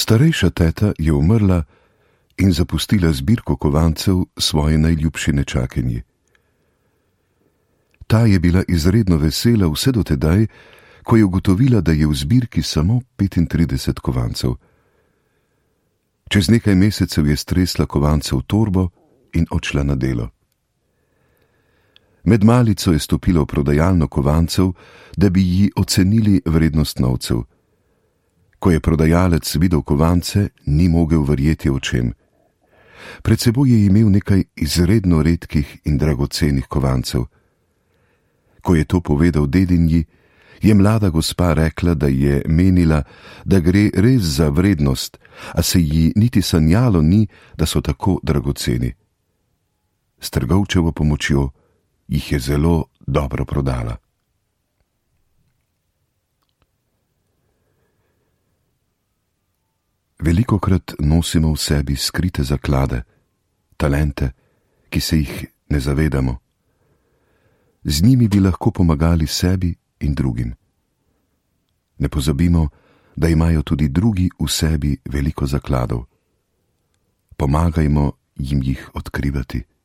Starejša teta je umrla in zapustila zbirko kovancev svoje najljubši nečakinji. Ta je bila izredno vesela vse do tedaj, ko je ugotovila, da je v zbirki samo 35 kovancev. Čez nekaj mesecev je stresla kovance v torbo in odšla na delo. Med malico je stopila v prodajalno kovancev, da bi ji ocenili vrednost novcev. Ko je prodajalec videl kovance, ni mogel verjeti očem. Pred seboj je imel nekaj izredno redkih in dragocenih kovancev. Ko je to povedal dedinji, je mlada gospa rekla, da je menila, da gre res za vrednost, a se ji niti sanjalo ni, da so tako dragoceni. S trgovčevo pomočjo jih je zelo dobro prodala. Velikokrat nosimo v sebi skrite zaklade, talente, ki se jih ne zavedamo. Z njimi bi lahko pomagali sebi in drugim. Ne pozabimo, da imajo tudi drugi v sebi veliko zakladov. Pomagajmo jim jih odkrivati.